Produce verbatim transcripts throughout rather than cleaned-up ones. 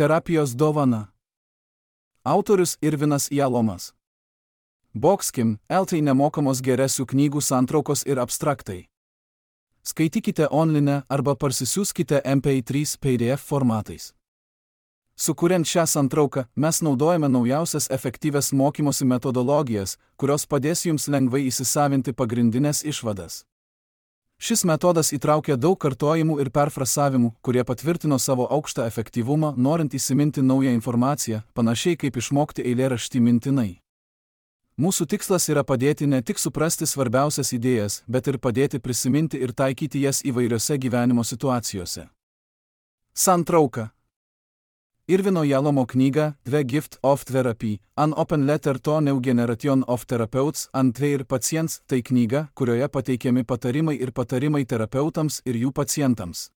Terapijos dovana. Autorius Irvinas Jalomas. Boxkim, L T nemokamos geresių knygų santraukos ir abstraktai. Skaitykite online arba parsisiųskite M P trys P D F formatais. Sukuriant šią santrauką, mes naudojame naujausias efektyvias mokymosi metodologijas, kurios padės jums lengvai įsisavinti pagrindinės išvadas. Šis metodas įtraukia daug kartojimų ir perfrasavimų, kurie patvirtino savo aukštą efektyvumą, norint įsiminti naują informaciją, panašiai kaip išmokti eilėraštį mintinai. Mūsų tikslas yra padėti ne tik suprasti svarbiausias idėjas, bet ir padėti prisiminti ir taikyti jas įvairiose gyvenimo situacijose. Santrauka. Irvino Jalomo knyga The Gift of Therapy, An Open Letter to New Generation of Therapeutics and Their Patients – tai knyga, kurioje pateikiami patarimai ir patarimai terapeutams ir jų pacientams.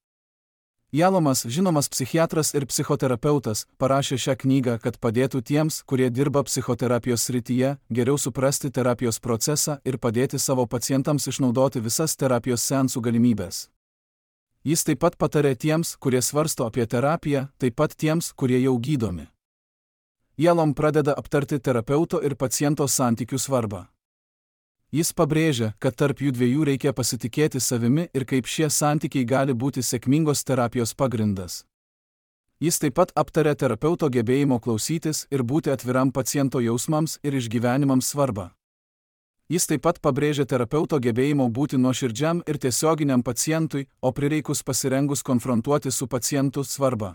Jalomas, žinomas psichiatras ir psichoterapeutas, parašė šią knygą, kad padėtų tiems, kurie dirba psichoterapijos srityje, geriau suprasti terapijos procesą ir padėti savo pacientams išnaudoti visas terapijos seansų galimybės. Jis taip pat patarė tiems, kurie svarsto apie terapiją, taip pat tiems, kurie jau gydomi. Jalom pradeda aptarti terapeuto ir paciento santykių svarbą. Jis pabrėžia, kad tarp jų dviejų reikia pasitikėti savimi ir kaip šie santykiai gali būti sėkmingos terapijos pagrindas. Jis taip pat aptarė terapeuto gebėjimo klausytis ir būti atviram paciento jausmams ir išgyvenimams svarbą. Jis taip pat pabrėžė terapeuto gebėjimo būti nuoširdžiam ir tiesioginiam pacientui, o prireikus pasirengus konfrontuoti su pacientu svarbą.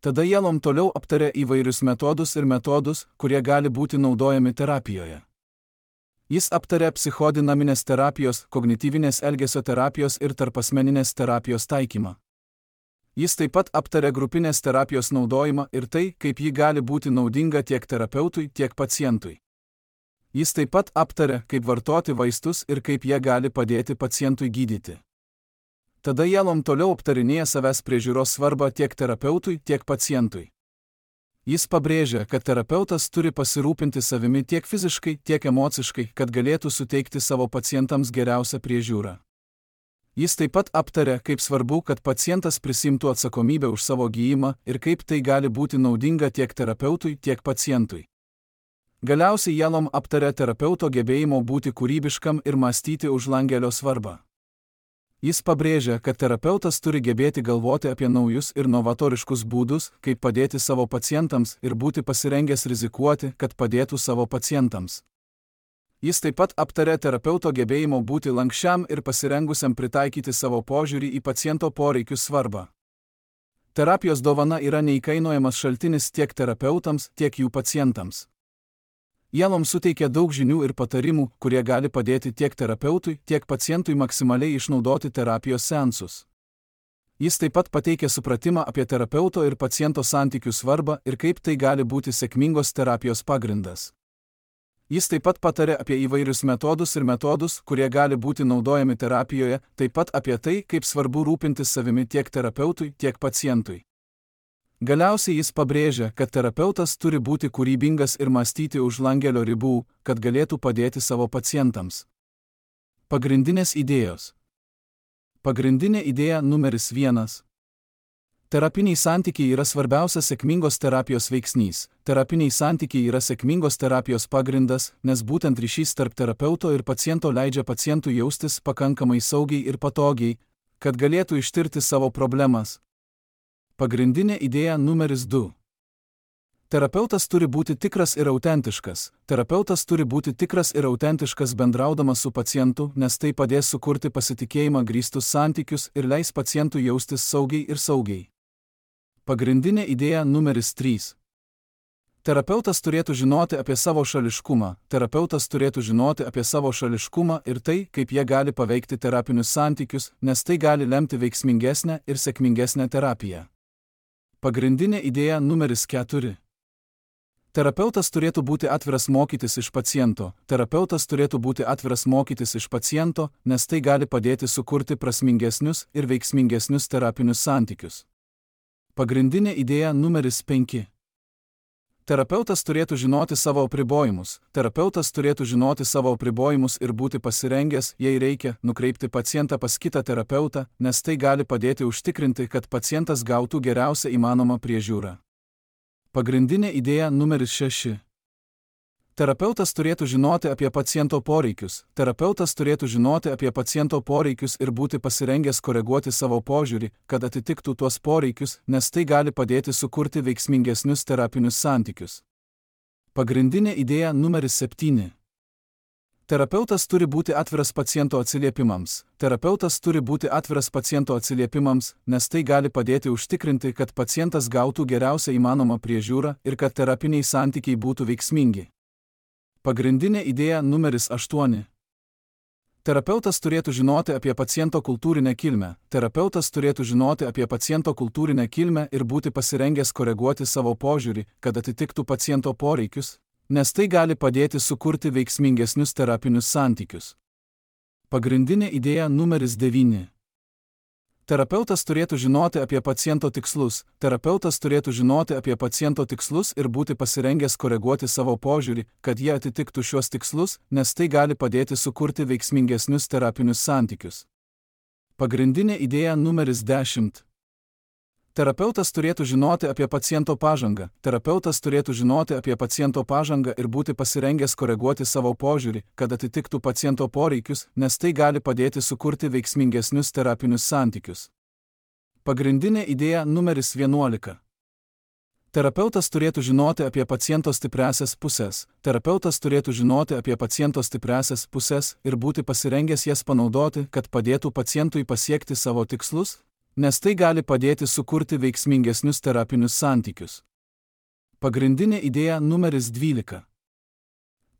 Tada Jalom toliau aptarė įvairius metodus ir metodus, kurie gali būti naudojami terapijoje. Jis aptarė psichodinaminės terapijos, kognityvinės elgesio terapijos ir tarpasmeninės terapijos taikymą. Jis taip pat aptarė grupinės terapijos naudojimą ir tai, kaip ji gali būti naudinga tiek terapeutui, tiek pacientui. Jis taip pat aptarė, kaip vartoti vaistus ir kaip jie gali padėti pacientui gydyti. Tada Jalom toliau aptarinėja savęs priežiūros svarbą tiek terapeutui, tiek pacientui. Jis pabrėžia, kad terapeutas turi pasirūpinti savimi tiek fiziškai, tiek emociškai, kad galėtų suteikti savo pacientams geriausią priežiūrą. Jis taip pat aptarė, kaip svarbu, kad pacientas prisimtų atsakomybę už savo gijimą ir kaip tai gali būti naudinga tiek terapeutui, tiek pacientui. Galiausiai Jalom aptarė terapeuto gebėjimo būti kūrybiškam ir mąstyti už langelio svarbą. Jis pabrėžia, kad terapeutas turi gebėti galvoti apie naujus ir novatoriškus būdus, kaip padėti savo pacientams ir būti pasirengęs rizikuoti, kad padėtų savo pacientams. Jis taip pat aptarė terapeuto gebėjimo būti lankščiam ir pasirengusiam pritaikyti savo požiūrį į paciento poreikius svarbą. Terapijos dovana yra neįkainojamas šaltinis tiek terapeutams, tiek jų pacientams. Jalom suteikia daug žinių ir patarimų, kurie gali padėti tiek terapeutui, tiek pacientui maksimaliai išnaudoti terapijos seansus. Jis taip pat pateikia supratimą apie terapeuto ir paciento santykių svarbą ir kaip tai gali būti sėkmingos terapijos pagrindas. Jis taip pat patarė apie įvairius metodus ir metodus, kurie gali būti naudojami terapijoje, taip pat apie tai, kaip svarbu rūpintis savimi tiek terapeutui, tiek pacientui. Galiausiai jis pabrėžia, kad terapeutas turi būti kūrybingas ir mąstyti už langelio ribų, kad galėtų padėti savo pacientams. Pagrindinės idėjos. Pagrindinė idėja numeris vienas. Terapiniai santykiai yra svarbiausias sėkmingos terapijos veiksnys. Terapiniai santykiai yra sėkmingos terapijos pagrindas, nes būtent ryšys tarp terapeuto ir paciento leidžia pacientui jaustis pakankamai saugiai ir patogiai, kad galėtų ištirti savo problemas. Pagrindinė idėja numeris du. Terapeutas turi būti tikras ir autentiškas. Terapeutas turi būti tikras ir autentiškas bendraudamas su pacientu, nes tai padės sukurti pasitikėjimą grįstus santykius ir leis pacientui jaustis saugiai ir saugiai. Pagrindinė idėja numeris trys. Terapeutas turėtų žinoti apie savo šališkumą. Terapeutas turėtų žinoti apie savo šališkumą ir tai, kaip jie gali paveikti terapinius santykius, nes tai gali lemti veiksmingesnę ir sėkmingesnę terapiją. Pagrindinė idėja numeris keturi. Terapeutas turėtų būti atviras mokytis iš paciento. Terapeutas turėtų būti atviras mokytis iš paciento, nes tai gali padėti sukurti prasmingesnius ir veiksmingesnius terapinius santykius. Pagrindinė idėja numeris penki. Terapeutas turėtų žinoti savo apribojimus. Terapeutas turėtų žinoti savo apribojimus ir būti pasirengęs, jei reikia, nukreipti pacientą pas kitą terapeutą, nes tai gali padėti užtikrinti, kad pacientas gautų geriausią įmanomą priežiūrą. Pagrindinė idėja numeris šeši. Terapeutas turėtų žinoti apie paciento poreikius. Terapeutas turėtų žinoti apie paciento poreikius ir būti pasirengęs koreguoti savo požiūrį, kad atitiktų tuos poreikius, nes tai gali padėti sukurti veiksmingesnius terapinius santykius. Pagrindinė idėja numeris septyni. Terapeutas turi būti atviras paciento atsiliepimams. Terapeutas turi būti atviras paciento atsiliepimams, nes tai gali padėti užtikrinti, kad pacientas gautų geriausią įmanomą priežiūrą ir kad terapiniai santykiai būtų veiksmingi. Pagrindinė idėja numeris aštuoni. Terapeutas turėtų žinoti apie paciento kultūrinę kilmę. Terapeutas turėtų žinoti apie paciento kultūrinę kilmę ir būti pasirengęs koreguoti savo požiūrį, kad atitiktų paciento poreikius, nes tai gali padėti sukurti veiksmingesnius terapinius santykius. Pagrindinė idėja numeris devyni. Terapeutas turėtų žinoti apie paciento tikslus. Terapeutas turėtų žinoti apie paciento tikslus ir būti pasirengęs koreguoti savo požiūrį, kad jie atitiktų šiuos tikslus, nes tai gali padėti sukurti veiksmingesnius terapinius santykius. Pagrindinė idėja numeris dešimt. Terapeutas turėtų žinoti apie paciento pažangą. Terapeutas turėtų žinoti apie paciento pažangą ir būti pasirengęs koreguoti savo požiūrį, kad atitiktų paciento poreikius, nes tai gali padėti sukurti veiksmingesnius terapinius santykius. Pagrindinė idėja numeris vienuolika. Terapeutas turėtų žinoti apie paciento stipriąsias pusės. Terapeutas turėtų žinoti apie paciento stipriąsias pusės ir būti pasirengęs jas panaudoti, kad padėtų pacientui pasiekti savo tikslus, nes tai gali padėti sukurti veiksmingesnius terapinius santykius. Pagrindinė idėja numeris dvylika.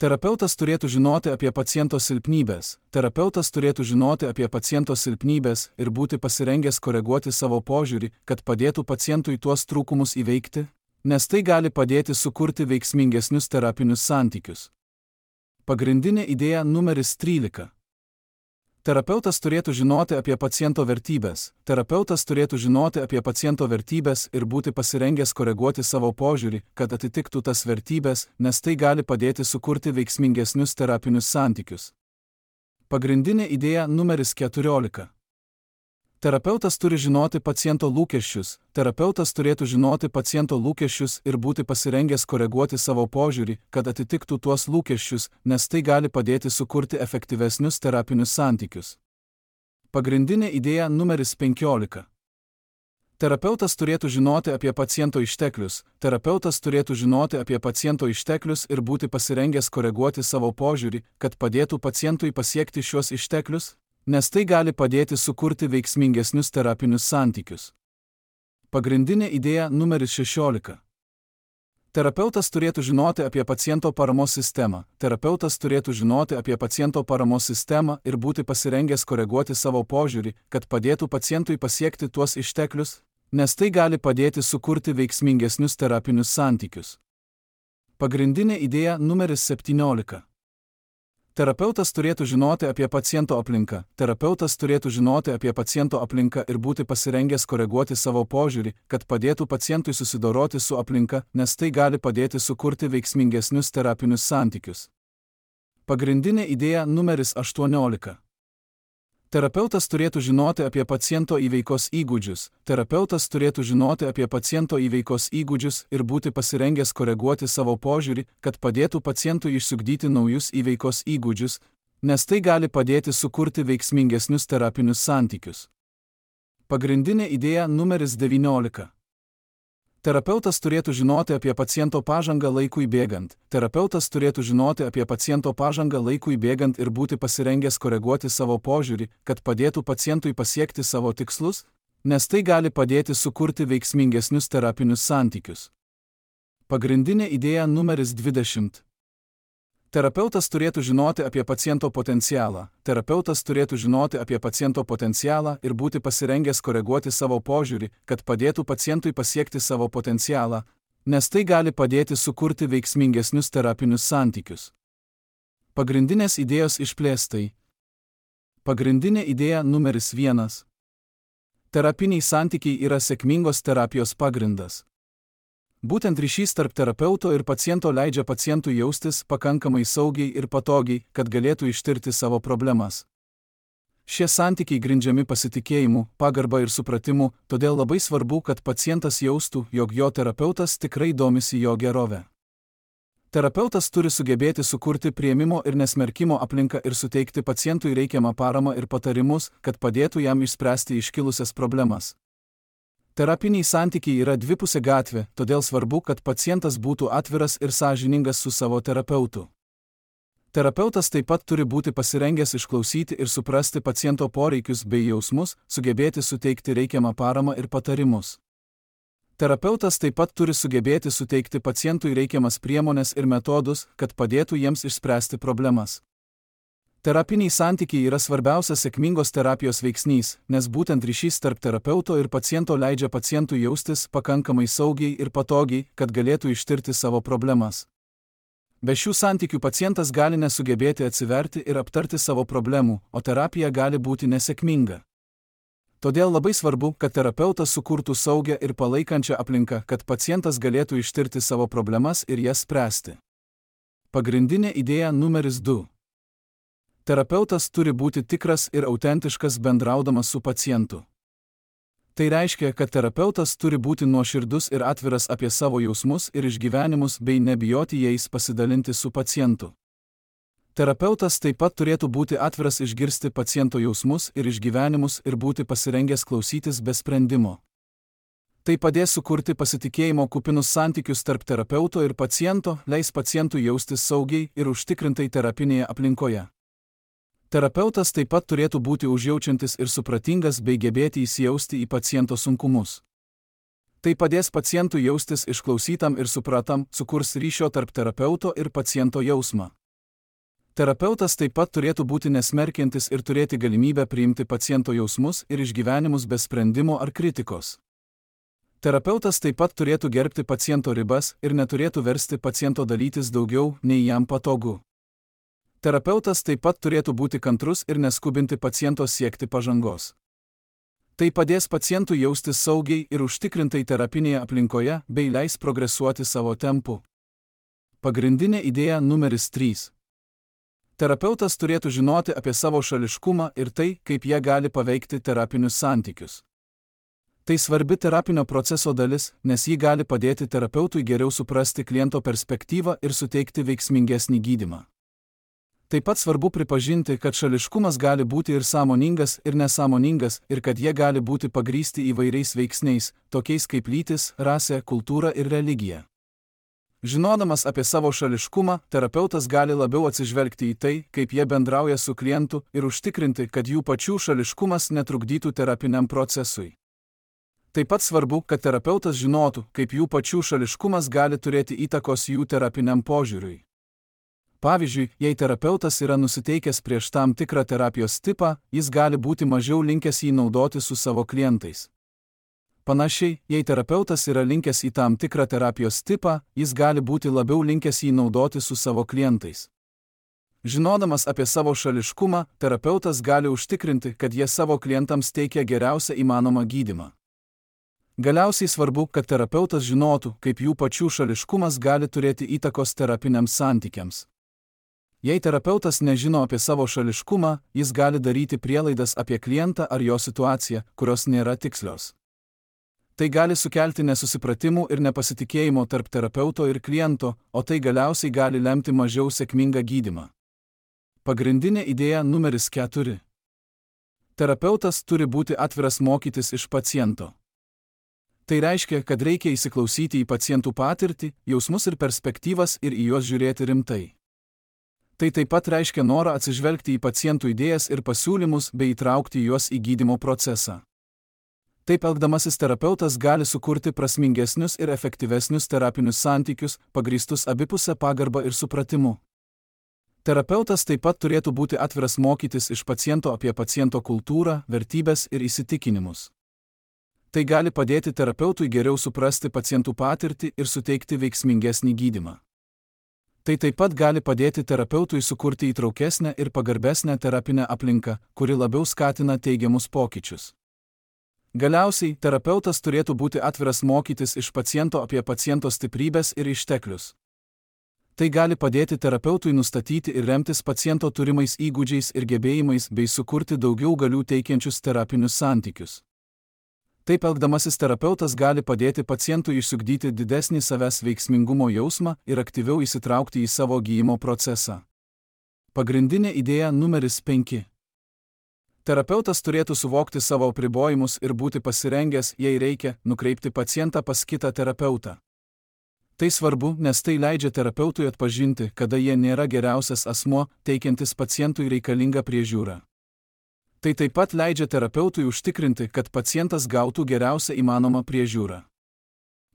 Terapeutas turėtų žinoti apie paciento silpnybės. Terapeutas turėtų žinoti apie paciento silpnybės ir būti pasirengęs koreguoti savo požiūrį, kad padėtų pacientui tuos trūkumus įveikti, nes tai gali padėti sukurti veiksmingesnius terapinius santykius. Pagrindinė idėja numeris trylika. Terapeutas turėtų žinoti apie paciento vertybės. Terapeutas turėtų žinoti apie paciento vertybės ir būti pasirengęs koreguoti savo požiūrį, kad atitiktų tas vertybės, nes tai gali padėti sukurti veiksmingesnius terapinius santykius. Pagrindinė idėja numeris keturiolika. Terapeutas turi žinoti paciento lūkesčius. Terapeutas turėtų žinoti paciento lūkesčius ir būti pasirengęs koreguoti savo požiūrį, kad atitiktų tuos lūkesčius, nes tai gali padėti sukurti efektyvesnius terapinius santykius. Pagrindinė idėja numeris penkiolika. Terapeutas turėtų žinoti apie paciento išteklius. Terapeutas turėtų žinoti apie paciento išteklius ir būti pasirengęs koreguoti savo požiūrį, kad padėtų pacientui pasiekti šiuos išteklius, nes tai gali padėti sukurti veiksmingesnius terapinius santykius. Pagrindinė idėja numeris šešiolika. Terapeutas turėtų žinoti apie paciento paramos sistemą. Terapeutas turėtų žinoti apie paciento paramos sistemą ir būti pasirengęs koreguoti savo požiūrį, kad padėtų pacientui pasiekti tuos išteklius, nes tai gali padėti sukurti veiksmingesnius terapinius santykius. Pagrindinė idėja numeris septyniolika. Terapeutas turėtų žinoti apie paciento aplinką. Terapeutas turėtų žinoti apie paciento aplinką ir būti pasirengęs koreguoti savo požiūrį, kad padėtų pacientui susidoroti su aplinka, nes tai gali padėti sukurti veiksmingesnius terapinius santykius. Pagrindinė idėja numeris aštuoniolika. Terapeutas turėtų žinoti apie paciento įveikos įgūdžius. Terapeutas turėtų žinoti apie paciento įveikos įgūdžius ir būti pasirengęs koreguoti savo požiūrį, kad padėtų pacientui išsiugdyti naujus įveikos įgūdžius, nes tai gali padėti sukurti veiksmingesnius terapinius santykius. Pagrindinė idėja numeris devyniolika. Terapeutas turėtų žinoti apie paciento pažangą laikui bėgant. Terapeutas turėtų žinoti apie paciento pažangą laikui bėgant ir būti pasirengęs koreguoti savo požiūrį, kad padėtų pacientui pasiekti savo tikslus, nes tai gali padėti sukurti veiksmingesnius terapinius santykius. Pagrindinė idėja numeris dvidešimt. Terapeutas turėtų žinoti apie paciento potencialą. Terapeutas turėtų žinoti apie paciento potencialą ir būti pasirengęs koreguoti savo požiūrį, kad padėtų pacientui pasiekti savo potencialą, nes tai gali padėti sukurti veiksmingesnius terapinius santykius. Pagrindinės idėjos išplėstai. Pagrindinė idėja numeris vienas. Terapiniai santykiai yra sėkmingos terapijos pagrindas. Būtent ryšys tarp terapeuto ir paciento leidžia pacientui jaustis pakankamai saugiai ir patogiai, kad galėtų ištirti savo problemas. Šie santykiai grindžiami pasitikėjimu, pagarba ir supratimu, todėl labai svarbu, kad pacientas jaustų, jog jo terapeutas tikrai domisi jo gerove. Terapeutas turi sugebėti sukurti priėmimo ir nesmerkimo aplinką ir suteikti pacientui reikiamą paramą ir patarimus, kad padėtų jam išspręsti iškilusias problemas. Terapiniai santykiai yra dvipusė gatvė, todėl svarbu, kad pacientas būtų atviras ir sąžiningas su savo terapeutu. Terapeutas taip pat turi būti pasirengęs išklausyti ir suprasti paciento poreikius bei jausmus, sugebėti suteikti reikiamą paramą ir patarimus. Terapeutas taip pat turi sugebėti suteikti pacientui reikiamas priemones ir metodus, kad padėtų jiems išspręsti problemas. Terapiniai santykiai yra svarbiausias sėkmingos terapijos veiksnys, nes būtent ryšys tarp terapeuto ir paciento leidžia pacientui jaustis pakankamai saugiai ir patogiai, kad galėtų ištirti savo problemas. Be šių santykių pacientas gali nesugebėti atsiverti ir aptarti savo problemų, o terapija gali būti nesėkminga. Todėl labai svarbu, kad terapeutas sukurtų saugią ir palaikančią aplinką, kad pacientas galėtų ištirti savo problemas ir jas spręsti. Pagrindinė idėja numeris du. Terapeutas turi būti tikras ir autentiškas bendraudamas su pacientu. Tai reiškia, kad terapeutas turi būti nuoširdus ir atviras apie savo jausmus ir išgyvenimus bei nebijoti jais pasidalinti su pacientu. Terapeutas taip pat turėtų būti atviras išgirsti paciento jausmus ir išgyvenimus ir būti pasirengęs klausytis be sprendimo. Tai padės sukurti pasitikėjimo kupinus santykius tarp terapeuto ir paciento, leis pacientui jaustis saugiai ir užtikrintai terapinėje aplinkoje. Terapeutas taip pat turėtų būti užjaučiantis ir supratingas bei gebėti įsijausti į paciento sunkumus. Tai padės pacientui jaustis išklausytam ir supratam, sukurs ryšio tarp terapeuto ir paciento jausmą. Terapeutas taip pat turėtų būti nesmerkiantis ir turėti galimybę priimti paciento jausmus ir išgyvenimus be sprendimo ar kritikos. Terapeutas taip pat turėtų gerbti paciento ribas ir neturėtų versti paciento dalytis daugiau, nei jam patogu. Terapeutas taip pat turėtų būti kantrus ir neskubinti paciento siekti pažangos. Tai padės pacientui jaustis saugiai ir užtikrintai terapinėje aplinkoje bei leis progresuoti savo tempu. Pagrindinė idėja numeris trys. Terapeutas turėtų žinoti apie savo šališkumą ir tai, kaip jie gali paveikti terapinius santykius. Tai svarbi terapinio proceso dalis, nes ji gali padėti terapeutui geriau suprasti kliento perspektyvą ir suteikti veiksmingesnį gydymą. Taip pat svarbu pripažinti, kad šališkumas gali būti ir sąmoningas, ir nesąmoningas, ir kad jie gali būti pagrįsti įvairiais veiksniais, tokiais kaip lytis, rasė, kultūra ir religija. Žinodamas apie savo šališkumą, terapeutas gali labiau atsižvelgti į tai, kaip jie bendrauja su klientu ir užtikrinti, kad jų pačių šališkumas netrukdytų terapiniam procesui. Taip pat svarbu, kad terapeutas žinotų, kaip jų pačių šališkumas gali turėti įtakos jų terapiniam požiūriui. Pavyzdžiui, jei terapeutas yra nusiteikęs prieš tam tikrą terapijos tipą, jis gali būti mažiau linkęs jį naudoti su savo klientais. Panašiai, jei terapeutas yra linkęs į tam tikrą terapijos tipą, jis gali būti labiau linkęs jį naudoti su savo klientais. Žinodamas apie savo šališkumą, terapeutas gali užtikrinti, kad jie savo klientams teikia geriausią įmanomą gydymą. Galiausiai svarbu, kad terapeutas žinotų, kaip jų pačių šališkumas gali turėti įtakos terapiniams santykiams. Jei terapeutas nežino apie savo šališkumą, jis gali daryti prielaidas apie klientą ar jo situaciją, kurios nėra tikslios. Tai gali sukelti nesusipratimų ir nepasitikėjimo tarp terapeuto ir kliento, o tai galiausiai gali lemti mažiau sėkmingą gydymą. Pagrindinė idėja numeris keturi. Terapeutas turi būti atviras mokytis iš paciento. Tai reiškia, kad reikia įsiklausyti į pacientų patirtį, jausmus ir perspektyvas ir į juos žiūrėti rimtai. Tai taip pat reiškia norą atsižvelgti į pacientų idėjas ir pasiūlymus bei įtraukti juos į gydymo procesą. Taip elgdamasis terapeutas gali sukurti prasmingesnius ir efektyvesnius terapinius santykius, pagrįstus abipusę pagarbą ir supratimu. Terapeutas taip pat turėtų būti atviras mokytis iš paciento apie paciento kultūrą, vertybes ir įsitikinimus. Tai gali padėti terapeutui geriau suprasti pacientų patirtį ir suteikti veiksmingesnį gydymą. Tai taip pat gali padėti terapeutui sukurti įtraukesnę ir pagarbesnę terapinę aplinką, kuri labiau skatina teigiamus pokyčius. Galiausiai, terapeutas turėtų būti atviras mokytis iš paciento apie paciento stiprybės ir išteklius. Tai gali padėti terapeutui nustatyti ir remtis paciento turimais įgūdžiais ir gebėjimais bei sukurti daugiau galių teikiančius terapinius santykius. Taip elgdamasis terapeutas gali padėti pacientui išsiugdyti didesnį savęs veiksmingumo jausmą ir aktyviau įsitraukti į savo gydymo procesą. Pagrindinė idėja numeris penki. Terapeutas turėtų suvokti savo apribojimus ir būti pasirengęs, jei reikia, nukreipti pacientą pas kitą terapeutą. Tai svarbu, nes tai leidžia terapeutui atpažinti, kada jie nėra geriausias asmuo, teikiantis pacientui reikalingą priežiūrą. Tai taip pat leidžia terapeutui užtikrinti, kad pacientas gautų geriausią įmanomą priežiūrą.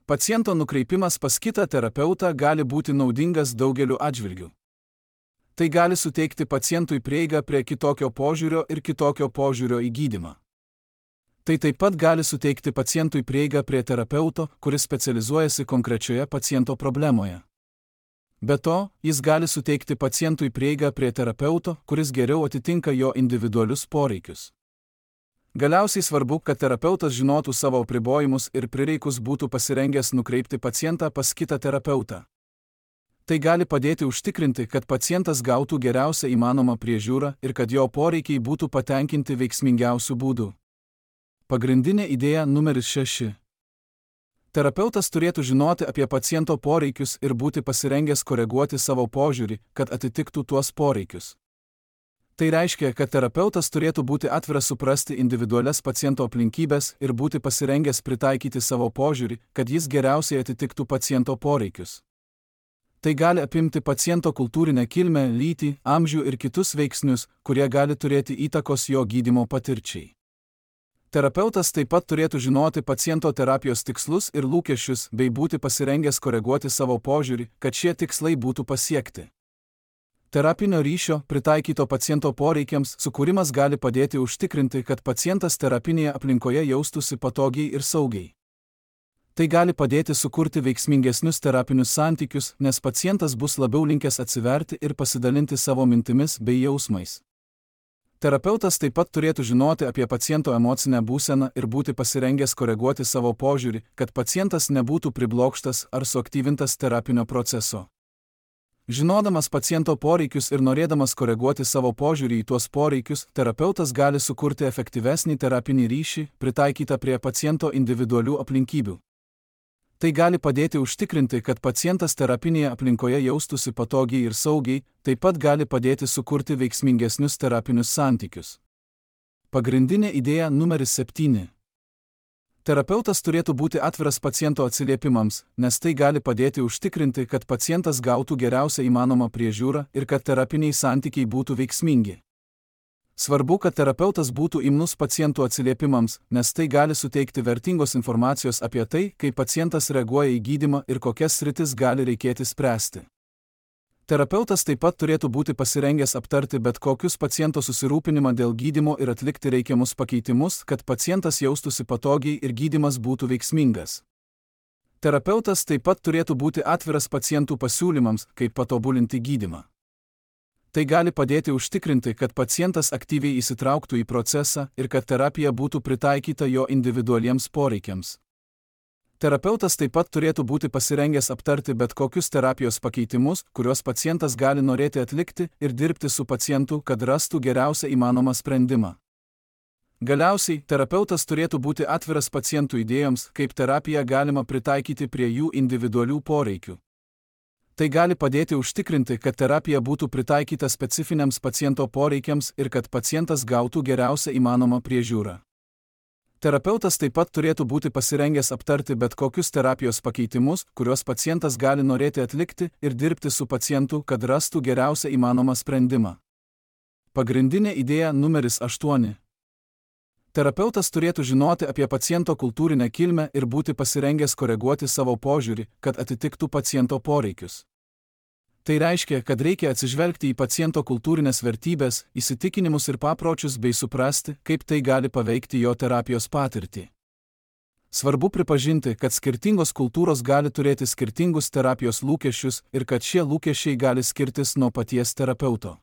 Paciento nukreipimas pas kitą terapeutą gali būti naudingas daugeliu atžvilgių. Tai gali suteikti pacientui prieigą prie kitokio požiūrio ir kitokio požiūrio į gydymą. Tai taip pat gali suteikti pacientui prieigą prie terapeuto, kuris specializuojasi konkrečioje paciento problemoje. Be to, jis gali suteikti pacientui prieigą prie terapeuto, kuris geriau atitinka jo individualius poreikius. Galiausiai svarbu, kad terapeutas žinotų savo apribojimus ir prireikus būtų pasirengęs nukreipti pacientą pas kitą terapeutą. Tai gali padėti užtikrinti, kad pacientas gautų geriausią įmanomą priežiūrą ir kad jo poreikiai būtų patenkinti veiksmingiausių būdų. Pagrindinė idėja numeris šeši. Terapeutas turėtų žinoti apie paciento poreikius ir būti pasirengęs koreguoti savo požiūrį, kad atitiktų tuos poreikius. Tai reiškia, kad terapeutas turėtų būti atviras suprasti individualias paciento aplinkybės ir būti pasirengęs pritaikyti savo požiūrį, kad jis geriausiai atitiktų paciento poreikius. Tai gali apimti paciento kultūrinę kilmę, lytį, amžių ir kitus veiksnius, kurie gali turėti įtakos jo gydymo patirčiai. Terapeutas taip pat turėtų žinoti paciento terapijos tikslus ir lūkesčius bei būti pasirengęs koreguoti savo požiūrį, kad šie tikslai būtų pasiekti. Terapinio ryšio, pritaikyto paciento poreikiams, sukūrimas gali padėti užtikrinti, kad pacientas terapinėje aplinkoje jaustųsi patogiai ir saugiai. Tai gali padėti sukurti veiksmingesnius terapinius santykius, nes pacientas bus labiau linkęs atsiverti ir pasidalinti savo mintimis bei jausmais. Terapeutas taip pat turėtų žinoti apie paciento emocinę būseną ir būti pasirengęs koreguoti savo požiūrį, kad pacientas nebūtų priblokštas ar suaktyvintas terapinio proceso. Žinodamas paciento poreikius ir norėdamas koreguoti savo požiūrį į tuos poreikius, terapeutas gali sukurti efektyvesnį terapinį ryšį, pritaikytą prie paciento individualių aplinkybių. Tai gali padėti užtikrinti, kad pacientas terapinėje aplinkoje jaustųsi patogiai ir saugiai, taip pat gali padėti sukurti veiksmingesnius terapinius santykius. Pagrindinė idėja numeris septyni. Terapeutas turėtų būti atviras paciento atsiliepimams, nes tai gali padėti užtikrinti, kad pacientas gautų geriausią įmanomą priežiūrą ir kad terapiniai santykiai būtų veiksmingi. Svarbu, kad terapeutas būtų imnus pacientų atsiliepimams, nes tai gali suteikti vertingos informacijos apie tai, kaip pacientas reaguoja į gydymą ir kokias sritis gali reikėti spręsti. Terapeutas taip pat turėtų būti pasirengęs aptarti bet kokius paciento susirūpinimą dėl gydymo ir atlikti reikiamus pakeitimus, kad pacientas jaustųsi patogiai ir gydymas būtų veiksmingas. Terapeutas taip pat turėtų būti atviras pacientų pasiūlymams, kaip patobulinti gydymą. Tai gali padėti užtikrinti, kad pacientas aktyviai įsitrauktų į procesą ir kad terapija būtų pritaikyta jo individualiems poreikiams. Terapeutas taip pat turėtų būti pasirengęs aptarti bet kokius terapijos pakeitimus, kuriuos pacientas gali norėti atlikti ir dirbti su pacientu, kad rastų geriausią įmanomą sprendimą. Galiausiai, terapeutas turėtų būti atviras pacientų idėjoms, kaip terapiją galima pritaikyti prie jų individualių poreikių. Tai gali padėti užtikrinti, kad terapija būtų pritaikyta specifiniams paciento poreikiams ir kad pacientas gautų geriausią įmanomą priežiūrą. Terapeutas taip pat turėtų būti pasirengęs aptarti bet kokius terapijos pakeitimus, kuriuos pacientas gali norėti atlikti ir dirbti su pacientu, kad rastų geriausią įmanomą sprendimą. Pagrindinė idėja numeris aštuoni. Terapeutas turėtų žinoti apie paciento kultūrinę kilmę ir būti pasirengęs koreguoti savo požiūrį, kad atitiktų paciento poreikius. Tai reiškia, kad reikia atsižvelgti į paciento kultūrinės vertybės, įsitikinimus ir papročius bei suprasti, kaip tai gali paveikti jo terapijos patirtį. Svarbu pripažinti, kad skirtingos kultūros gali turėti skirtingus terapijos lūkesčius ir kad šie lūkesčiai gali skirtis nuo paties terapeuto.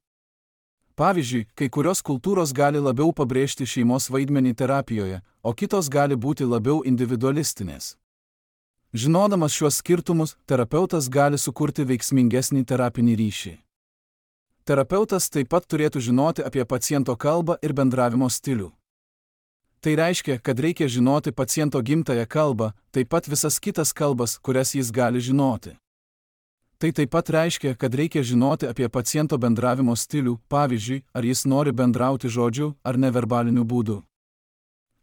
Pavyzdžiui, kai kurios kultūros gali labiau pabrėžti šeimos vaidmenį terapijoje, o kitos gali būti labiau individualistinės. Žinodamas šiuos skirtumus, terapeutas gali sukurti veiksmingesnį terapinį ryšį. Terapeutas taip pat turėtų žinoti apie paciento kalbą ir bendravimo stilių. Tai reiškia, kad reikia žinoti paciento gimtąją kalbą, taip pat visas kitas kalbas, kurias jis gali žinoti. Tai taip pat reiškia, kad reikia žinoti apie paciento bendravimo stilių, pavyzdžiui, ar jis nori bendrauti žodžiu ar neverbaliniu būdu.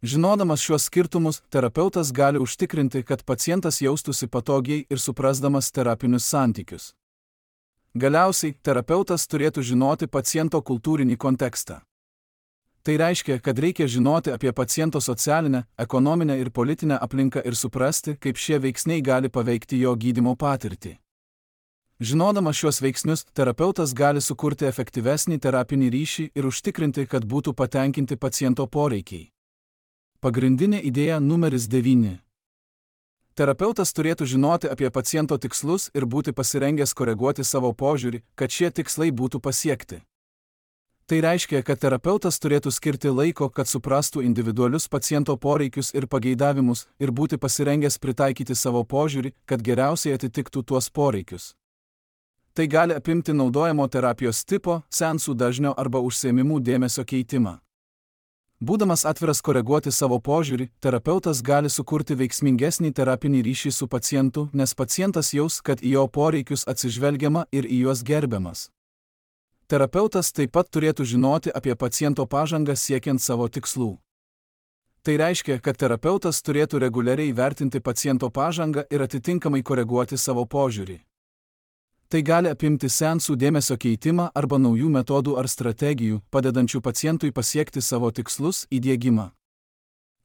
Žinodamas šiuos skirtumus, terapeutas gali užtikrinti, kad pacientas jaustųsi patogiai ir suprasdamas terapinius santykius. Galiausiai, terapeutas turėtų žinoti paciento kultūrinį kontekstą. Tai reiškia, kad reikia žinoti apie paciento socialinę, ekonominę ir politinę aplinką ir suprasti, kaip šie veiksniai gali paveikti jo gydymo patirtį. Žinodamas šiuos veiksnius, terapeutas gali sukurti efektyvesnį terapinį ryšį ir užtikrinti, kad būtų patenkinti paciento poreikiai. Pagrindinė idėja numeris devyni. Terapeutas turėtų žinoti apie paciento tikslus ir būti pasirengęs koreguoti savo požiūrį, kad šie tikslai būtų pasiekti. Tai reiškia, kad terapeutas turėtų skirti laiko, kad suprastų individualius paciento poreikius ir pageidavimus ir būti pasirengęs pritaikyti savo požiūrį, kad geriausiai atitiktų tuos poreikius. Tai gali apimti naudojamo terapijos tipo, seansų dažnio arba užsiėmimų dėmesio keitimą. Būdamas atviras koreguoti savo požiūrį, terapeutas gali sukurti veiksmingesnį terapinį ryšį su pacientu, nes pacientas jaus, kad į jo poreikius atsižvelgiama ir į juos gerbiamas. Terapeutas taip pat turėtų žinoti apie paciento pažangą siekiant savo tikslų. Tai reiškia, kad terapeutas turėtų reguliariai vertinti paciento pažangą ir atitinkamai koreguoti savo požiūrį. Tai gali apimti seansų dėmesio keitimą arba naujų metodų ar strategijų, padedančių pacientui pasiekti savo tikslus, įdiegimą.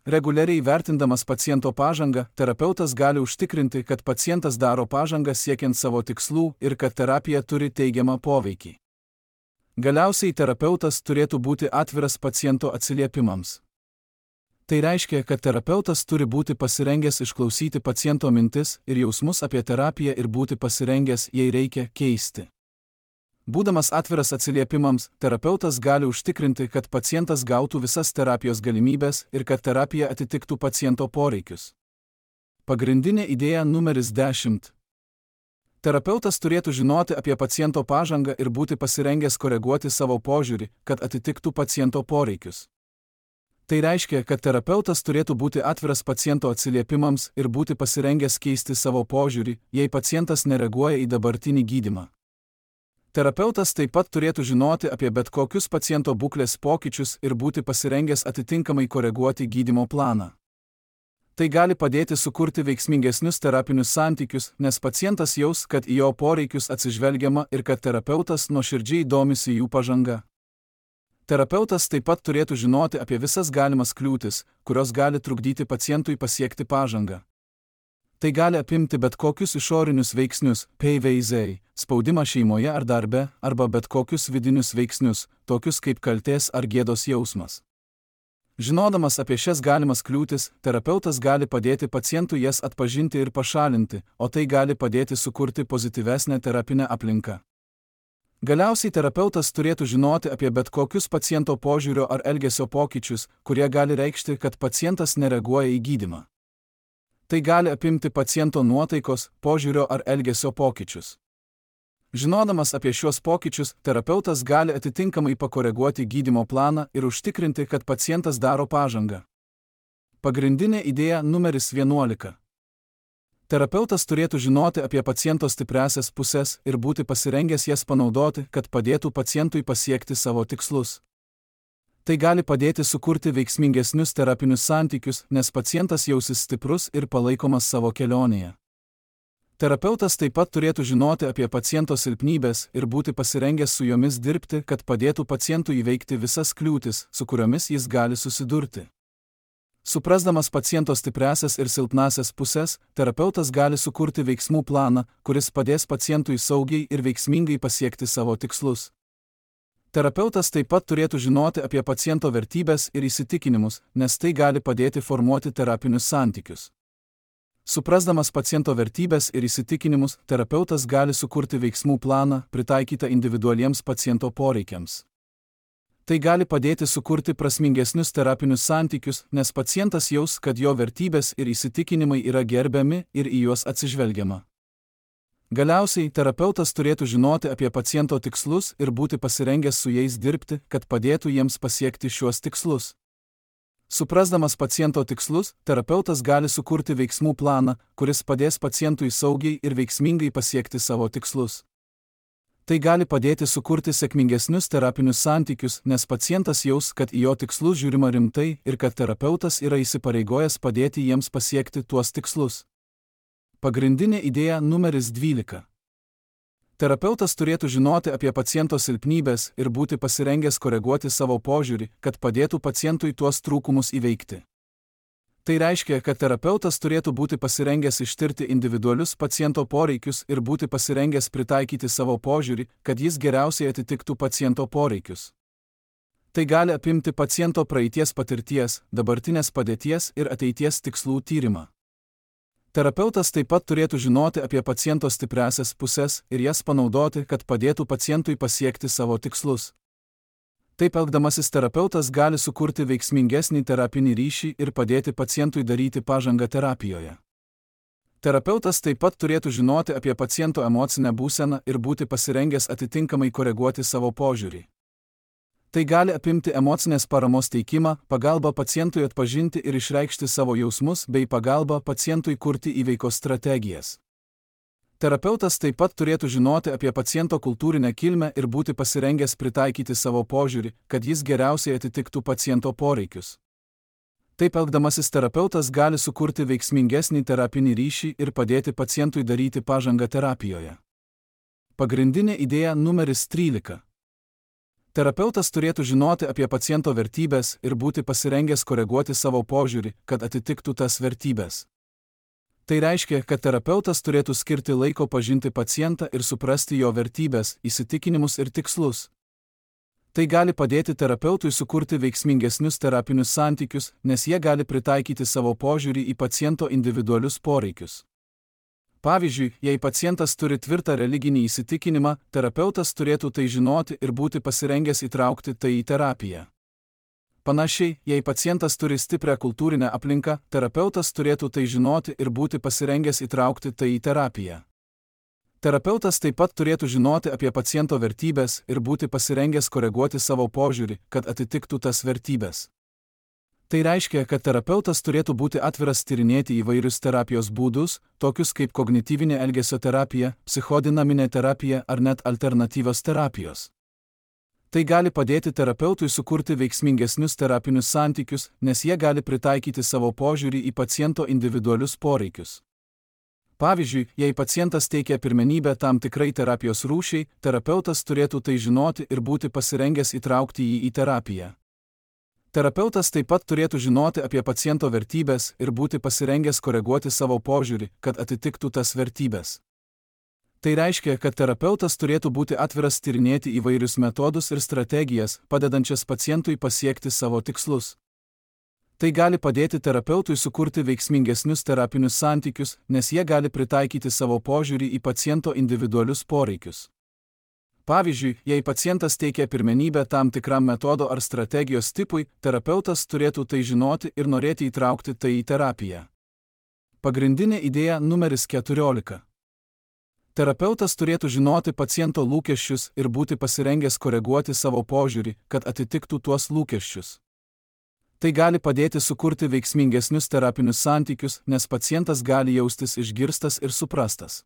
Reguliariai vertindamas paciento pažangą, terapeutas gali užtikrinti, kad pacientas daro pažangą siekiant savo tikslų ir kad terapija turi teigiamą poveikį. Galiausiai terapeutas turėtų būti atviras paciento atsiliepimams. Tai reiškia, kad terapeutas turi būti pasirengęs išklausyti paciento mintis ir jausmus apie terapiją ir būti pasirengęs, jei reikia, keisti. Būdamas atviras atsiliepimams, terapeutas gali užtikrinti, kad pacientas gautų visas terapijos galimybės ir kad terapija atitiktų paciento poreikius. Pagrindinė idėja numeris dešimt. Terapeutas turėtų žinoti apie paciento pažangą ir būti pasirengęs koreguoti savo požiūrį, kad atitiktų paciento poreikius. Tai reiškia, kad terapeutas turėtų būti atviras paciento atsiliepimams ir būti pasirengęs keisti savo požiūrį, jei pacientas nereaguoja į dabartinį gydymą. Terapeutas taip pat turėtų žinoti apie bet kokius paciento būklės pokyčius ir būti pasirengęs atitinkamai koreguoti gydymo planą. Tai gali padėti sukurti veiksmingesnius terapinius santykius, nes pacientas jaus, kad į jo poreikius atsižvelgiama ir kad terapeutas nuoširdžiai domisi jų pažanga. Terapeutas taip pat turėtų žinoti apie visas galimas kliūtis, kurios gali trukdyti pacientui pasiekti pažangą. Tai gali apimti bet kokius išorinius veiksnius, P V Z, spaudimą šeimoje ar darbe, arba bet kokius vidinius veiksnius, tokius kaip kaltės ar gėdos jausmas. Žinodamas apie šias galimas kliūtis, terapeutas gali padėti pacientui jas atpažinti ir pašalinti, o tai gali padėti sukurti pozityvesnę terapinę aplinką. Galiausiai terapeutas turėtų žinoti apie bet kokius paciento požiūrio ar elgesio pokyčius, kurie gali reikšti, kad pacientas nereaguoja į gydymą. Tai gali apimti paciento nuotaikos, požiūrio ar elgesio pokyčius. Žinodamas apie šios pokyčius, terapeutas gali atitinkamai pakoreguoti gydymo planą ir užtikrinti, kad pacientas daro pažangą. Pagrindinė idėja numeris vienuolika. Terapeutas turėtų žinoti apie paciento stipriąsias puses ir būti pasirengęs jas panaudoti, kad padėtų pacientui pasiekti savo tikslus. Tai gali padėti sukurti veiksmingesnius terapinius santykius, nes pacientas jausis stiprus ir palaikomas savo kelionėje. Terapeutas taip pat turėtų žinoti apie paciento silpnybės ir būti pasirengęs su jomis dirbti, kad padėtų pacientui įveikti visas kliūtis, su kuriomis jis gali susidurti. Suprasdamas paciento stipriąsias ir silpnąsias puses, terapeutas gali sukurti veiksmų planą, kuris padės pacientui saugiai ir veiksmingai pasiekti savo tikslus. Terapeutas taip pat turėtų žinoti apie paciento vertybes ir įsitikinimus, nes tai gali padėti formuoti terapinius santykius. Suprasdamas paciento vertybes ir įsitikinimus, terapeutas gali sukurti veiksmų planą, pritaikytą individualiems paciento poreikiams. Tai gali padėti sukurti prasmingesnius terapinius santykius, nes pacientas jaus, kad jo vertybės ir įsitikinimai yra gerbiami ir į juos atsižvelgiama. Galiausiai, terapeutas turėtų žinoti apie paciento tikslus ir būti pasirengęs su jais dirbti, kad padėtų jiems pasiekti šiuos tikslus. Suprasdamas paciento tikslus, terapeutas gali sukurti veiksmų planą, kuris padės pacientui saugiai ir veiksmingai pasiekti savo tikslus. Tai gali padėti sukurti sėkmingesnius terapinius santykius, nes pacientas jaus, kad į jo tikslus žiūrima rimtai ir kad terapeutas yra įsipareigojęs padėti jiems pasiekti tuos tikslus. Pagrindinė idėja numeris dvylika. Terapeutas turėtų žinoti apie paciento silpnybės ir būti pasirengęs koreguoti savo požiūrį, kad padėtų pacientui tuos trūkumus įveikti. Tai reiškia, kad terapeutas turėtų būti pasirengęs ištirti individualius paciento poreikius ir būti pasirengęs pritaikyti savo požiūrį, kad jis geriausiai atitiktų paciento poreikius. Tai gali apimti paciento praeities patirties, dabartinės padėties ir ateities tikslų tyrimą. Terapeutas taip pat turėtų žinoti apie paciento stipriąsias puses ir jas panaudoti, kad padėtų pacientui pasiekti savo tikslus. Taip elgdamasis terapeutas gali sukurti veiksmingesnį terapinį ryšį ir padėti pacientui daryti pažangą terapijoje. Terapeutas taip pat turėtų žinoti apie paciento emocinę būseną ir būti pasirengęs atitinkamai koreguoti savo požiūrį. Tai gali apimti emocinės paramos teikimą, pagalbą pacientui atpažinti ir išreikšti savo jausmus bei pagalbą pacientui kurti įveikos strategijas. Terapeutas taip pat turėtų žinoti apie paciento kultūrinę kilmę ir būti pasirengęs pritaikyti savo požiūrį, kad jis geriausiai atitiktų paciento poreikius. Taip elgdamasis terapeutas gali sukurti veiksmingesnį terapinį ryšį ir padėti pacientui daryti pažangą terapijoje. Pagrindinė idėja numeris trylika. Terapeutas turėtų žinoti apie paciento vertybės ir būti pasirengęs koreguoti savo požiūrį, kad atitiktų tas vertybės. Tai reiškia, kad terapeutas turėtų skirti laiko pažinti pacientą ir suprasti jo vertybės, įsitikinimus ir tikslus. Tai gali padėti terapeutui sukurti veiksmingesnius terapinius santykius, nes jie gali pritaikyti savo požiūrį į paciento individualius poreikius. Pavyzdžiui, jei pacientas turi tvirtą religinį įsitikinimą, terapeutas turėtų tai žinoti ir būti pasirengęs įtraukti tai į terapiją. Panašiai, jei pacientas turi stiprią kultūrinę aplinką, terapeutas turėtų tai žinoti ir būti pasirengęs įtraukti tai į terapiją. Terapeutas taip pat turėtų žinoti apie paciento vertybės ir būti pasirengęs koreguoti savo požiūrį, kad atitiktų tas vertybės. Tai reiškia, kad terapeutas turėtų būti atviras tyrinėti įvairius terapijos būdus, tokius kaip kognityvinė elgesio terapija, psichodinaminė terapija ar net alternatyvios terapijos. Tai gali padėti terapeutui sukurti veiksmingesnius terapinius santykius, nes jie gali pritaikyti savo požiūrį į paciento individualius poreikius. Pavyzdžiui, jei pacientas teikia pirmenybę tam tikrai terapijos rūšiai, terapeutas turėtų tai žinoti ir būti pasirengęs įtraukti jį į terapiją. Terapeutas taip pat turėtų žinoti apie paciento vertybės ir būti pasirengęs koreguoti savo požiūrį, kad atitiktų tas vertybės. Tai reiškia, kad terapeutas turėtų būti atviras tyrinėti įvairius metodus ir strategijas, padedančias pacientui pasiekti savo tikslus. Tai gali padėti terapeutui sukurti veiksmingesnius terapinius santykius, nes jie gali pritaikyti savo požiūrį į paciento individualius poreikius. Pavyzdžiui, jei pacientas teikia pirmenybę tam tikram metodo ar strategijos tipui, terapeutas turėtų tai žinoti ir norėti įtraukti tai į terapiją. Pagrindinė idėja numeris keturiolika. Terapeutas turėtų žinoti paciento lūkesčius ir būti pasirengęs koreguoti savo požiūrį, kad atitiktų tuos lūkesčius. Tai gali padėti sukurti veiksmingesnius terapinius santykius, nes pacientas gali jaustis išgirstas ir suprastas.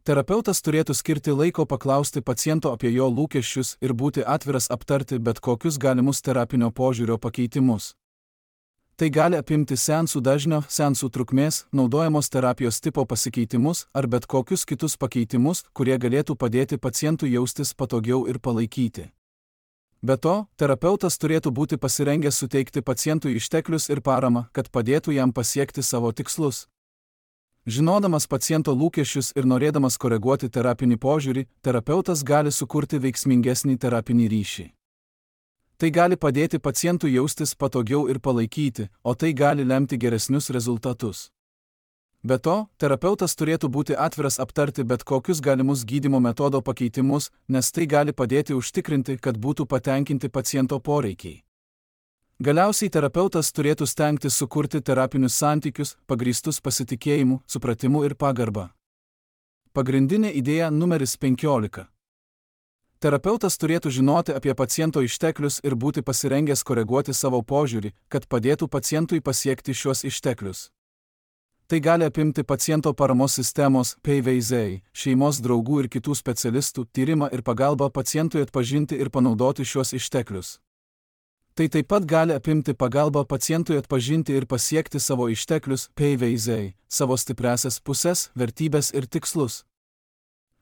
Terapeutas turėtų skirti laiko paklausti paciento apie jo lūkesčius ir būti atviras aptarti bet kokius galimus terapinio požiūrio pakeitimus. Tai gali apimti seansų dažnio, seansų trukmės, naudojamos terapijos tipo pasikeitimus ar bet kokius kitus pakeitimus, kurie galėtų padėti pacientui jaustis patogiau ir palaikyti. Be to, terapeutas turėtų būti pasirengęs suteikti pacientui išteklius ir paramą, kad padėtų jam pasiekti savo tikslus. Žinodamas paciento lūkesčius ir norėdamas koreguoti terapinį požiūrį, terapeutas gali sukurti veiksmingesnį terapinį ryšį. Tai gali padėti pacientui jaustis patogiau ir palaikyti, o tai gali lemti geresnius rezultatus. Be to, terapeutas turėtų būti atviras aptarti bet kokius galimus gydymo metodo pakeitimus, nes tai gali padėti užtikrinti, kad būtų patenkinti paciento poreikiai. Galiausiai terapeutas turėtų stengtis sukurti terapinius santykius, pagrįstus pasitikėjimu, supratimu ir pagarba. Pagrindinė idėja numeris penkiolika. Terapeutas turėtų žinoti apie paciento išteklius ir būti pasirengęs koreguoti savo požiūrį, kad padėtų pacientui pasiekti šiuos išteklius. Tai gali apimti paciento paramos sistemos, P V Z, šeimos draugų ir kitų specialistų tyrimą ir pagalbą pacientui atpažinti ir panaudoti šiuos išteklius. Tai taip pat gali apimti pagalbą pacientui atpažinti ir pasiekti savo išteklius, P V Z, savo stipriąsias puses, vertybės ir tikslus.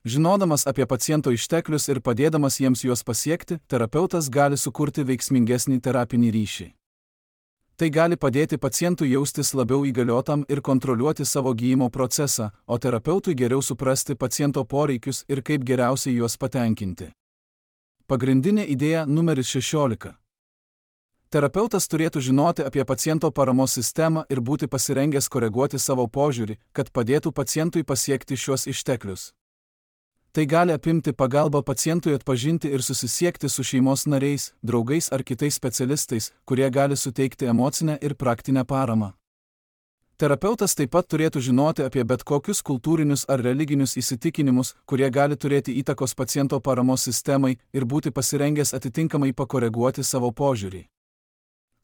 Žinodamas apie paciento išteklius ir padėdamas jiems juos pasiekti, terapeutas gali sukurti veiksmingesnį terapinį ryšį. Tai gali padėti pacientui jaustis labiau įgaliotam ir kontroliuoti savo gydymo procesą, o terapeutui geriau suprasti paciento poreikius ir kaip geriausiai juos patenkinti. Pagrindinė idėja numeris šešiolika. Terapeutas turėtų žinoti apie paciento paramos sistemą ir būti pasirengęs koreguoti savo požiūrį, kad padėtų pacientui pasiekti šiuos išteklius. Tai gali apimti pagalbą pacientui atpažinti ir susisiekti su šeimos nariais, draugais ar kitais specialistais, kurie gali suteikti emocinę ir praktinę paramą. Terapeutas taip pat turėtų žinoti apie bet kokius kultūrinius ar religinius įsitikinimus, kurie gali turėti įtakos paciento paramos sistemai ir būti pasirengęs atitinkamai pakoreguoti savo požiūrį.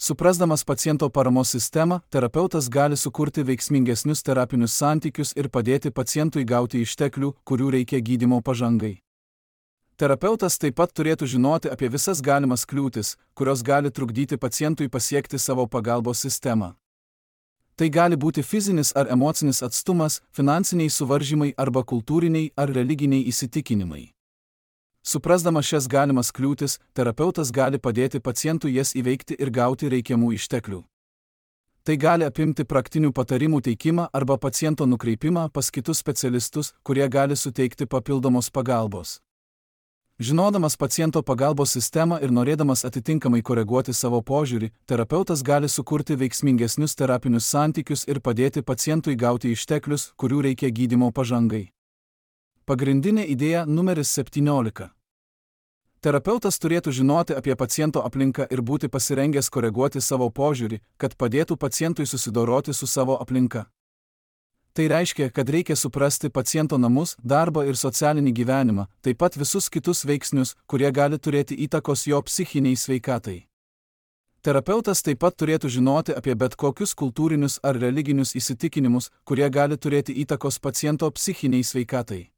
Suprasdamas paciento paramos sistemą, terapeutas gali sukurti veiksmingesnius terapinius santykius ir padėti pacientui gauti išteklių, kurių reikia gydymo pažangai. Terapeutas taip pat turėtų žinoti apie visas galimas kliūtis, kurios gali trukdyti pacientui pasiekti savo pagalbos sistemą. Tai gali būti fizinis ar emocinis atstumas, finansiniai suvaržymai arba kultūriniai ar religiniai įsitikinimai. Suprasdamas šias galimas kliūtis, terapeutas gali padėti pacientui jas įveikti ir gauti reikiamų išteklių. Tai gali apimti praktinių patarimų teikimą arba paciento nukreipimą pas kitus specialistus, kurie gali suteikti papildomos pagalbos. Žinodamas paciento pagalbos sistemą ir norėdamas atitinkamai koreguoti savo požiūrį, terapeutas gali sukurti veiksmingesnius terapinius santykius ir padėti pacientui gauti išteklius, kurių reikia gydymo pažangai. Pagrindinė idėja numeris septyniolika. Terapeutas turėtų žinoti apie paciento aplinką ir būti pasirengęs koreguoti savo požiūrį, kad padėtų pacientui susidoroti su savo aplinka. Tai reiškia, kad reikia suprasti paciento namus, darbą ir socialinį gyvenimą, taip pat visus kitus veiksnius, kurie gali turėti įtakos jo psichiniai sveikatai. Terapeutas taip pat turėtų žinoti apie bet kokius kultūrinius ar religinius įsitikinimus, kurie gali turėti įtakos paciento psichiniai sveikatai.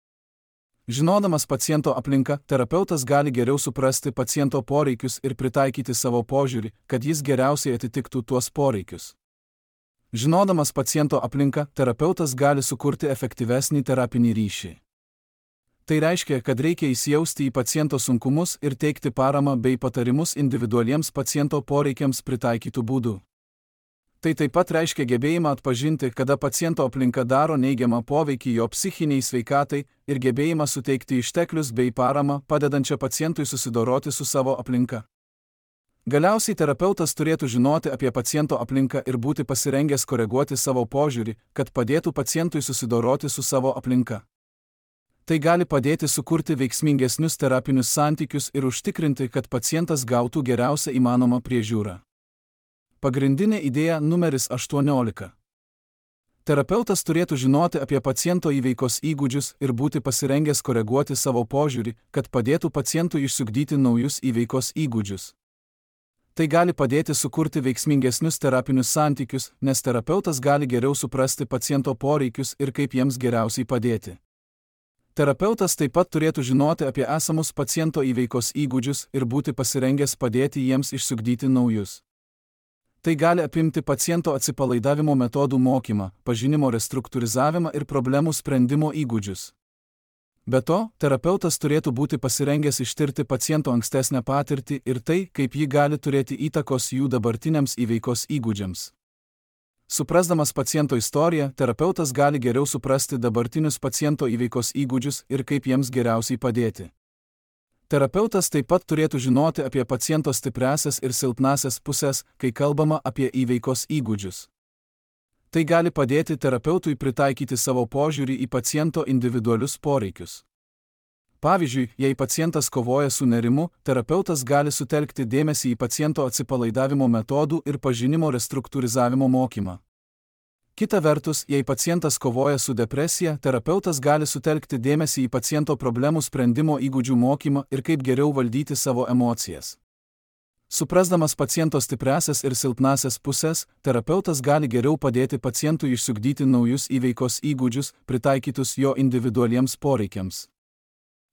Žinodamas paciento aplinką, terapeutas gali geriau suprasti paciento poreikius ir pritaikyti savo požiūrį, kad jis geriausiai atitiktų tuos poreikius. Žinodamas paciento aplinką, terapeutas gali sukurti efektyvesnį terapinį ryšį. Tai reiškia, kad reikia įsijausti į paciento sunkumus ir teikti paramą bei patarimus individualiems paciento poreikiams pritaikytų būdų. Tai taip pat reiškia gebėjimą atpažinti, kada paciento aplinka daro neigiamą poveikį jo psichiniai sveikatai ir gebėjimą suteikti išteklius bei paramą, padedančią pacientui susidoroti su savo aplinka. Galiausiai terapeutas turėtų žinoti apie paciento aplinką ir būti pasirengęs koreguoti savo požiūrį, kad padėtų pacientui susidoroti su savo aplinka. Tai gali padėti sukurti veiksmingesnius terapinius santykius ir užtikrinti, kad pacientas gautų geriausią įmanomą priežiūrą. Pagrindinė idėja numeris aštuoniolika. Terapeutas turėtų žinoti apie paciento įveikos įgūdžius ir būti pasirengęs koreguoti savo požiūrį, kad padėtų pacientui išsiugdyti naujus įveikos įgūdžius. Tai gali padėti sukurti veiksmingesnius terapinius santykius, nes terapeutas gali geriau suprasti paciento poreikius ir kaip jiems geriausiai padėti. Terapeutas taip pat turėtų žinoti apie esamus paciento įveikos įgūdžius ir būti pasirengęs padėti jiems išsiugdyti naujus. Tai gali apimti paciento atsipalaidavimo metodų mokymą, pažinimo restruktūrizavimą ir problemų sprendimo įgūdžius. Be to, terapeutas turėtų būti pasirengęs ištirti paciento ankstesnę patirtį ir tai, kaip ji gali turėti įtakos jų dabartiniams įveikos įgūdžiams. Suprasdamas paciento istoriją, terapeutas gali geriau suprasti dabartinius paciento įveikos įgūdžius ir kaip jiems geriausiai padėti. Terapeutas taip pat turėtų žinoti apie paciento stipriąsias ir silpnąsias pusės, kai kalbama apie įveikos įgūdžius. Tai gali padėti terapeutui pritaikyti savo požiūrį į paciento individualius poreikius. Pavyzdžiui, jei pacientas kovoja su nerimu, terapeutas gali sutelkti dėmesį į paciento atsipalaidavimo metodų ir pažinimo restruktūrizavimo mokymą. Kita vertus, jei pacientas kovoja su depresija, terapeutas gali sutelkti dėmesį į paciento problemų sprendimo įgūdžių mokymą ir kaip geriau valdyti savo emocijas. Suprasdamas paciento stipriąsias ir silpnąsias pusės, terapeutas gali geriau padėti pacientui išsiugdyti naujus įveikos įgūdžius, pritaikytus jo individualiems poreikiams.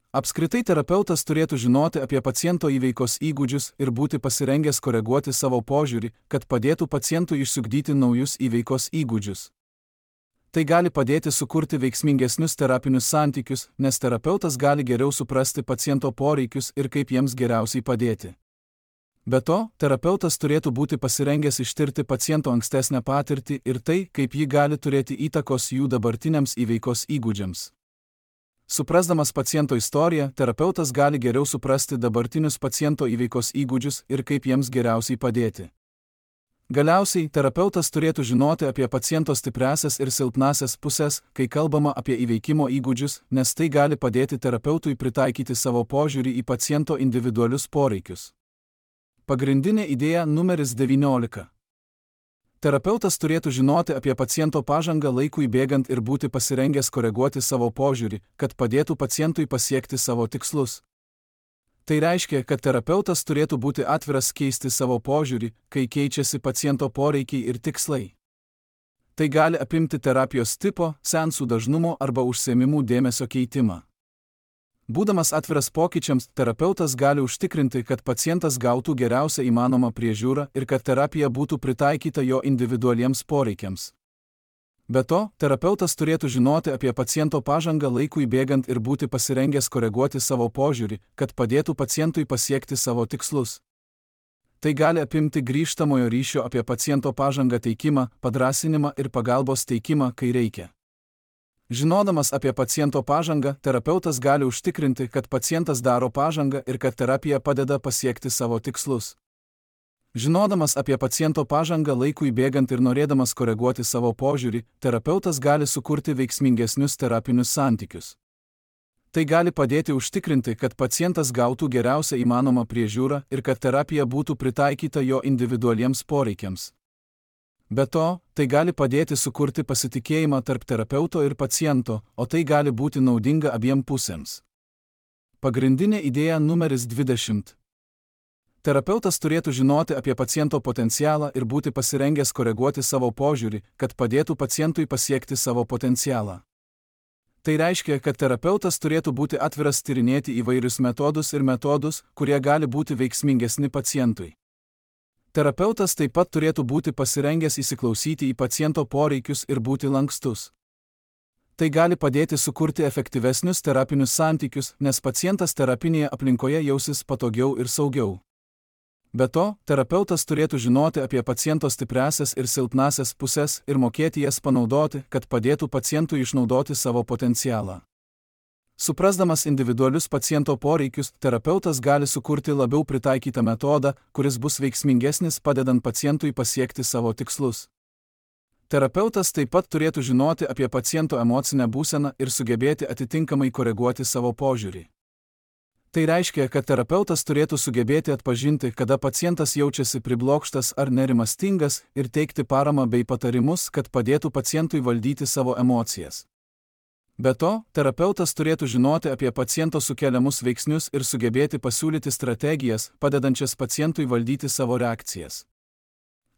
Apskritai terapeutas turėtų žinoti apie paciento įveikos įgūdžius ir būti pasirengęs koreguoti savo požiūrį, kad padėtų pacientui išsiugdyti naujus įveikos įgūdžius. Tai gali padėti sukurti veiksmingesnius terapinius santykius, nes terapeutas gali geriau suprasti paciento poreikius ir kaip jiems geriausiai padėti. Be to, terapeutas turėtų būti pasirengęs ištirti paciento ankstesnę patirtį ir tai, kaip ji gali turėti įtakos jų dabartiniams įveikos įgūdžiams. Suprasdamas paciento istoriją, terapeutas gali geriau suprasti dabartinius paciento įveikos įgūdžius ir kaip jiems geriausiai padėti. Galiausiai, terapeutas turėtų žinoti apie paciento stipriąsias ir silpnąsias pusės, kai kalbama apie įveikimo įgūdžius, nes tai gali padėti terapeutui pritaikyti savo požiūrį į paciento individualius poreikius. Pagrindinė idėja numeris devyniolika. Terapeutas turėtų žinoti apie paciento pažangą laikui bėgant ir būti pasirengęs koreguoti savo požiūrį, kad padėtų pacientui pasiekti savo tikslus. Tai reiškia, kad terapeutas turėtų būti atviras keisti savo požiūrį, kai keičiasi paciento poreikiai ir tikslai. Tai gali apimti terapijos tipo, seansų dažnumo arba užsiėmimų dėmesio keitimą. Būdamas atviras pokyčiams, terapeutas gali užtikrinti, kad pacientas gautų geriausią įmanomą priežiūrą ir kad terapija būtų pritaikyta jo individualiems poreikiams. Be to, terapeutas turėtų žinoti apie paciento pažangą laikui bėgant ir būti pasirengęs koreguoti savo požiūrį, kad padėtų pacientui pasiekti savo tikslus. Tai gali apimti grįžtamojo ryšio apie paciento pažangą teikimą, padrąsinimą ir pagalbos teikimą, kai reikia. Žinodamas apie paciento pažangą, terapeutas gali užtikrinti, kad pacientas daro pažangą ir kad terapija padeda pasiekti savo tikslus. Žinodamas apie paciento pažangą laikui bėgant ir norėdamas koreguoti savo požiūrį, terapeutas gali sukurti veiksmingesnius terapinius santykius. Tai gali padėti užtikrinti, kad pacientas gautų geriausią įmanomą priežiūrą ir kad terapija būtų pritaikyta jo individualiems poreikiams. Be to, tai gali padėti sukurti pasitikėjimą tarp terapeuto ir paciento, o tai gali būti naudinga abiem pusėms. Pagrindinė idėja numeris dvidešimt. Terapeutas turėtų žinoti apie paciento potencialą ir būti pasirengęs koreguoti savo požiūrį, kad padėtų pacientui pasiekti savo potencialą. Tai reiškia, kad terapeutas turėtų būti atviras tyrinėti įvairius metodus ir metodus, kurie gali būti veiksmingesni pacientui. Terapeutas taip pat turėtų būti pasirengęs įsiklausyti į paciento poreikius ir būti lankstus. Tai gali padėti sukurti efektyvesnius terapinius santykius, nes pacientas terapinėje aplinkoje jausis patogiau ir saugiau. Be to, terapeutas turėtų žinoti apie paciento stipriąsias ir silpnąsias pusės ir mokėti jas panaudoti, kad padėtų pacientui išnaudoti savo potencialą. Suprasdamas individualius paciento poreikius, terapeutas gali sukurti labiau pritaikytą metodą, kuris bus veiksmingesnis padedant pacientui pasiekti savo tikslus. Terapeutas taip pat turėtų žinoti apie paciento emocinę būseną ir sugebėti atitinkamai koreguoti savo požiūrį. Tai reiškia, kad terapeutas turėtų sugebėti atpažinti, kada pacientas jaučiasi priblokštas ar nerimastingas ir teikti paramą bei patarimus, kad padėtų pacientui valdyti savo emocijas. Be to, terapeutas turėtų žinoti apie paciento sukeliamus veiksnius ir sugebėti pasiūlyti strategijas, padedančias pacientui valdyti savo reakcijas.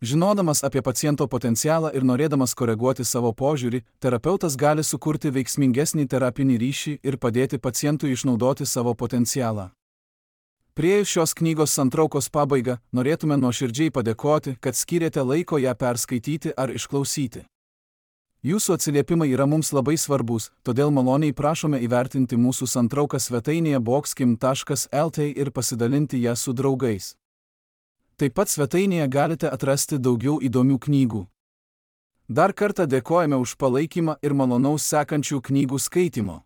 Žinodamas apie paciento potencialą ir norėdamas koreguoti savo požiūrį, terapeutas gali sukurti veiksmingesnį terapinį ryšį ir padėti pacientui išnaudoti savo potencialą. Priėjus šios knygos santraukos pabaigą, norėtume nuoširdžiai padėkoti, kad skyrėte laiko ją perskaityti ar išklausyti. Jūsų atsiliepimai yra mums labai svarbus, todėl maloniai prašome įvertinti mūsų santrauką svetainėje boxkim taškas el tė ir pasidalinti ją su draugais. Taip pat svetainėje galite atrasti daugiau įdomių knygų. Dar kartą dėkojame už palaikymą ir malonaus sekančių knygų skaitimo.